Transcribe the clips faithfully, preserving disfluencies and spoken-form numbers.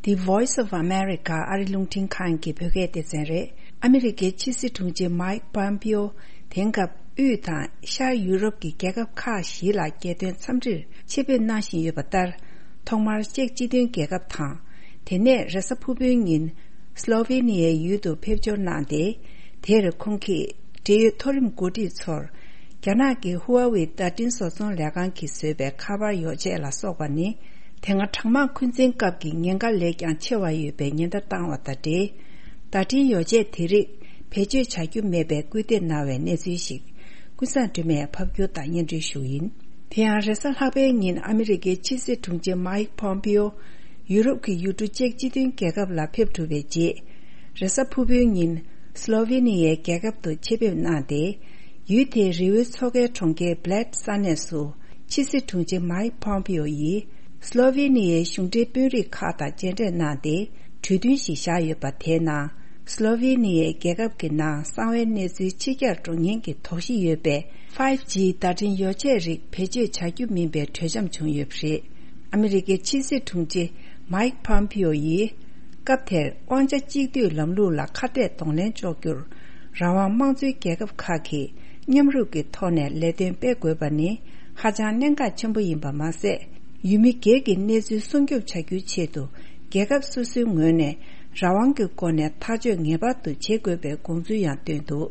The Voice of America ཨ་རི་རླུང་འཕྲིན་ཁང་གི་བོད་སྐད་སྡེ་ཚན་རེད། ཨ་མི་རི་ཀའི་ཕྱི་སྲིད་དྲུང་ཆེ་མའིག་པོམ་པིའོ་དེང་སྐབས་དབུས་དང་ཤར་ཡུ་རོབ་ཀྱི་རྒྱལ་ཁབ་ཁག་བཞི་ལ་རྒྱལ་དོན་འཚམས་འདྲིར་ཆེད་ཕེབས་གནང་བཞིན་ཡོད་པ་ལྟར། ཐོག་མར་ཅེཀ་སྤྱི་མཐུན་རྒྱལ་ཁབ་དང་། དེ་ནས་རེས་གཟའ་ཕུར་བུའི་ཉིན་སློ་ཝེ་ནི་ཡའི་ཡུལ་དུ་ཕེབས་འབྱོར་གནང་སྟེ། དེར་ཁོང་གིས་འབྲེལ་ཡོད་མཐོ་རིམ་འགོ་ཁྲིད་ཚོར། རྒྱ་ནག་གི་ཧུའེ་ཝེ་བརྡ་འཕྲིན་བཟོ་ཚོང་ལས་ཁང་གིས་བཟོས་པའི་ཁ་པར་ཡོ་ཆས་ལ་སོགས་པ་ནི། དེ་སྔ་གྲང་དམག་འཁོན་འཛིན་སྐབས་ཀྱི་ཉེན་ཁ་ལས་ཀྱང་ཆེ་བ་ཡོད་པའི་ཉེན་བརྡ་བཏང་བ་དང་འབྲེལ། བརྡ་འཕྲིན་ཡོ་ཆས་དེ་རིགས་བེད་སྤྱོད་བྱ་རྒྱུ་མེད་པའི་སྐུལ་འདེད་གནང་བའི་གནས་ཚུལ་ཞིག་ཀུན་བཟང་སྒྲོལ་མས་ཕབ་སྒྱུར་དང་སྙན་སྒྲོན་ཞུ་ཡིན། དེ་ཡང་རེས་གཟའ་ལྷག་པའི་ཉིན་ཨ་མི་རི་ཀའི་ཕྱི་སྲིད་དྲུང་ཆེ་མའིག་པོམ་པིའོ་ཡུ་རོབ་ཀྱི་ཡུལ་གྲུ་ཅེཀ་སྤྱི་མཐུན་རྒྱལ་ཁབ་ལ་ཕེབས་གྲུབ་པའི་རྗེས། རེས་གཟའ་ཕུར་བུའི་ཉིན་སློ་ཝེ་ནི་ཡའི་རྒྱལ་ཁབ་ཏུ་ཆེད་ཕེབས་གནང་སྟེ། ཡུལ་དེའི་རི་བོའི་མཚོ་ཁའི་གྲོང་ཁྱེར་བྷི་ལེད་ས་གནས་སུ་ཕྱི་སྲིད་དྲུང་ཆེ་མའིག་པོམ་པིའོ་ཡིས་སློ་ཝེ་ནི་ཡའི་གཞུང་འབྲེལ་དཔོན་རིགས་ཁག་དང་མཇལ་འཕྲད་གནང་སྟེ། གྲོས་མཐུན་ཞིག་བཞག་ཡོད་པ་དེའི་ནང་། སློ་ཝེ་ནི་ཡའི་རྒྱལ་ཁབ་ཀྱི་ནང་གསང་བའི་གནས་ཚུལ་ཕྱི་གྱར་འགྲོ་ཉེན་གྱི་དོགས་གཞི་ཡོད་པའི་ཕའིབ་ཇི་བརྡ་འཕྲིན་ཡོ་ཆས་རིགས་བེད་སྤྱོད་བྱ་རྒྱུ་མིན་པའི་གྲོས་འཆམ་བྱུང་ཡོད་པ་རེད། ཨ་མི་རི་ཀའི་ཕྱི་སྲིད་དྲུང་ཆེ་མའིག་པོམ་པིའོ་ཡིས། སྐབས་དེར་དབང་ཆ་གཅིག་སྡུད་ལམ་ལུགས་ལ་ཁ་གཏད་གདོང་ལེན་གཅོག་རྒྱུར། རང་དབང་དམངས་གཙོའི་རྒྱལ་ཁབ་ཁག་གིས་མཉམ་རུབ་ཀྱི་ཐོག་ནས་ལས་དོན་སྤེལ་དགོས་པ་ནི་ཧ་ཅང་གནད་འགག་ཆེན་པོ་ཡིན་པ་མ་ཟད། ཡུལ་མི་སྒེར་གྱི་གནས་ཚུལ་སྲུང་སྐྱོབ་བྱ་རྒྱུའི་ཆེད་དུ། རྒྱལ་ཁབ་སོ་སོའི་ངོས་ནས་རང་དབང་གི་སྒོ་ནས་ཐག་གཅོད་ངེས་པར་དུ་བྱེད་དགོས་པའི་དགོངས་ཚུལ་ཡང་བཏོན་འདུག་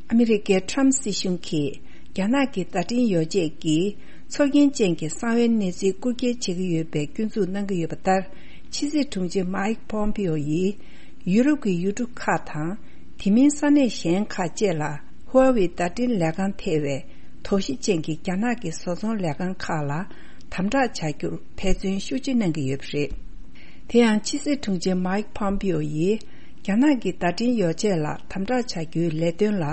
ཨ་མི་རི་ཀའི་ཁྲམ་སྲིད་གཞུང་གིས་རྒྱ་ནག་གི་བརྡ་འཕྲིན་ཡོ་ཆས་ཀྱིས་ཚོར་སྐྱེན་ཅན་གྱི་གསང་བའི་གནས་ཚུལ་རྐུ་འཁྱེར་བྱེད་ཀྱི་ཡོད་པའི་སྐྱོན་འཛུགས་གནང་གི་ཡོད་པ་ལྟར། ཕྱི་སྲིད་དྲུང་ཆེ་མའིག་པོམ་པིའོ་ཡིས་ཡུ་རོབ་ཀྱི་ཡུལ་གྲུ་ཁག་དང་། དེ་མིན་ས་གནས་གཞན་ཁག་བཅས་ལ་ཧུའེ་ཝེ་བརྡ་འཕྲིན་ལས་ཁང་ཐེ་བའི་དོགས་གཞི་ཅན་གྱི་རྒྱ་ནག་གི་བཟོ་ཚོང་ལས་ཁང་ཁག་ལ་དམ་དྲག་བྱ་རྒྱུར་འབད་བརྩོན་ཤུགས་ཆེ་གནང་གི་ཡོད་པ་རེད། དེ་ཡང་ཕྱི་སྲིད་དྲུང་ཆེ་མའིག་པོམ་པིའོ་ཡིས་རྒྱ་ནག་གི་བརྡ་འཕྲིན་ཡོ་ཆས་ལ་དམ་དྲག་བྱ་རྒྱུའི་ལས་དོན་ལ་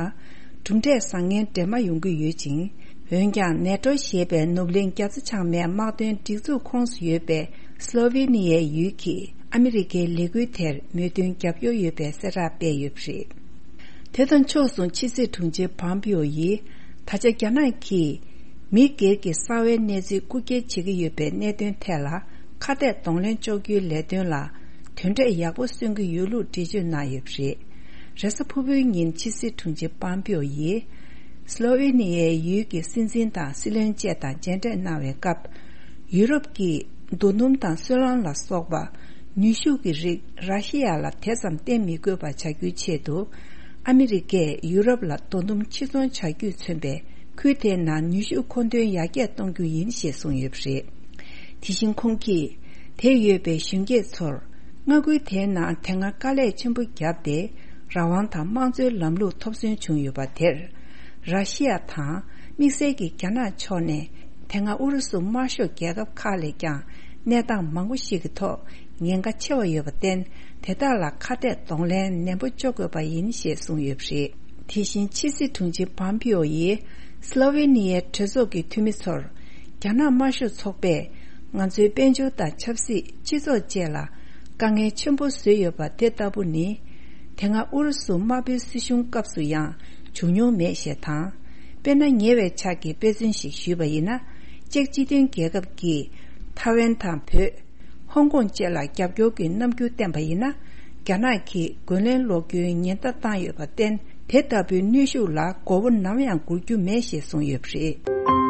གྲུབ་འབྲས་བཟང་ངན་འདྲེས་མ་ཡོང་གི་ཡོད་ཅིང་། འོན་ཀྱང་ནེ་ཏྲོ་ཞེས་པའི་ནུབ་གླིང་རྒྱ་མཚོ་བྱང་མའི་དམག་དོན་སྒྲིག་འཛུགས་ཁོངས་སུ་ཡོད་པའི་སློ་ཝེ་ནི་ཡའི་ཡུལ་གྱིས་ཨ་མི་རི་ཀའི་ལས་འགུལ་དེར་མོས་མཐུན་རྒྱབ་སྐྱོར་ཡོད་པའི་གསལ་བསྒྲགས་སྤེལ་ཡོད་པ་རེད། དེ་དང་ཕྱོགས་མཚུངས་ཕྱི་སྲིད་དྲུང་ཆེ་པོམ་པིའོ་ཡིས་ད་ཆ་རྒྱ་ནག་གིས་མི་སྒེར་གྱི་གསང་བའི་གནས་ཚུལ་རྐུ་འཁྱེར་བྱེད་ཀྱི་ཡོད་པའི་གནད་དོན་ཐད་ལ་ཁ་གཏད་གདོང་ལེན་གཅོག་རྒྱུའི་ལས་དོན་ལ་དོན་འབྲས་ཡག་པོ་སོན་གྱི་ཡོད་ལུགས་འགྲེལ་བརྗོད་གནང་ཡོད་པ་རེད། རེས་གཟའ་ཕུར་བུའི་ཉིན་ཕྱི་སྲིད་དྲུང་ཆེ་པོམ་པིའོ་ཡིས། སློ་ཝེ་ནི་ཡའི་ཡུལ་གྱི་སྲིད་འཛིན་དང་སྲིད་བློན་བཅས་དང་མཇལ་འཕྲད་གནང་བའི་སྐབས། ཡུ་རོབ་ཀྱིས་རྡོ་སྣུམ་དང་སོལ་རླངས་ལ་སོགས་པ་ནུས་ཤུགས་ཀྱི་རིགས་ར་ཤི་ཡ་ལ་དེ་ཙམ་བརྟེན་མི་དགོས་པ་བྱ་རྒྱུའི་ཆེད་དུ། ཨ་མི་རི་ཀས་ཡུ་རོབ་ལ་རྡོ་སྣུམ་ཕྱིར་ཚོང་བྱ་རྒྱུས་མཚོན་པའི་ཁུལ་དེའི་ནང་ནུས་ཤུགས་མཁོ་འདོན་ཡར་རྒྱས་གཏོང་རྒྱུ་ཡིན་ཞེས་གསུངས་ཡོད་པ་རེད། དེ་བཞིན་ཁོང་གིས་དེར་ཡོད་པའི་གཞོན་སྐྱེས་ཚོར། མངའ་ཁུལ་དེའི་ནང་དེ་སྔ་དཀའ་ལས་ཆེན་པོ་བརྒྱབ་སྟེ། རང་དབང་དང་དམངས་གཙོའི་ལམ་ལུགས་ཐོབ་སོན་བྱུང་ཡོད་པ་དེར། ར་ཤི་ཡ་དང་དམིགས་བསལ་གྱིས་རྒྱ་ནག་ཕྱོགས་ནས་དེ་སྔ་ཨུ་རུ་སུ་དམར་ཤོག་རྒྱལ་ཁབ་ཁག་ལས་ཀྱང་གནས་སྟངས་མང་པོ་ཞིག་གི་ཐོག་ཉེན་ཁ་ཆེ་བ་ཡོད་པར་བརྟེན། དེ་དག་ལ་ཁ་གཏད་གདོང་ལེན་ནན་པོ་གཅོག་དགོས་པ་ཡིན་ཞེས་གསུངས་ཡོད་པ་རེད། དེ་བཞིན་ཕྱི་སྲིད་དྲུང་ཆེ་པོམ་པིའོ་ཡིས། སློ་ཝེ་ནི་ཡའི་གྲོས་ཚོགས་ཀྱི་འཐུས་མི་ཚོར། རྒྱ་ནག་དམར་ཤོག་ཚོགས་པས་ང་ཚོའི་དཔལ་འབྱོར་དང་ཆབ་སྲིད། སྤྱི་ཚོགས་བཅས་ལ་དཀའ་ངལ་ཆེན་པོ་བཟོས་ཡོད་པ་དེ་ལྟ་བུ་ནི། དེ་སྔ་ཨུ་རུ་སུ་དམར་པོའི་སྲིད་གཞུང་སྐབས་སུ་ཡང་བྱུང་མྱོང་མེད་ཞེས་དང་། དཔེར་ན། ཉེ་བའི་ཆར་གྱི་དཔེ་མཚོན་ཞིག་ཞུས་པ་ཡིན་ན། ཅེཀ་སྤྱི་མཐུན་རྒྱལ་ཁབ་ཀྱིས་ཐའེ་ཝན་དང་བོད། ཧོང་ཀོང་བཅས་ལ་རྒྱབ་སྐྱོར་གྱི་རྣམ་འགྱུར་བསྟན་པ་ཡིན་ན། རྒྱ་ནག་གིས་རྒོལ་ལན་སློག་རྒྱུའི་ཉེན་བརྡ་བཏང་ཡོད་པར་བརྟེན། དེ་ལྟ་བུའི་གནོན་ཤུགས་ལ་མགོ་བོ་ནམ་ཡང་སྒུར་རྒྱུ་མེད་ཞེས་གསུངས་ཡོད་པ་རེད།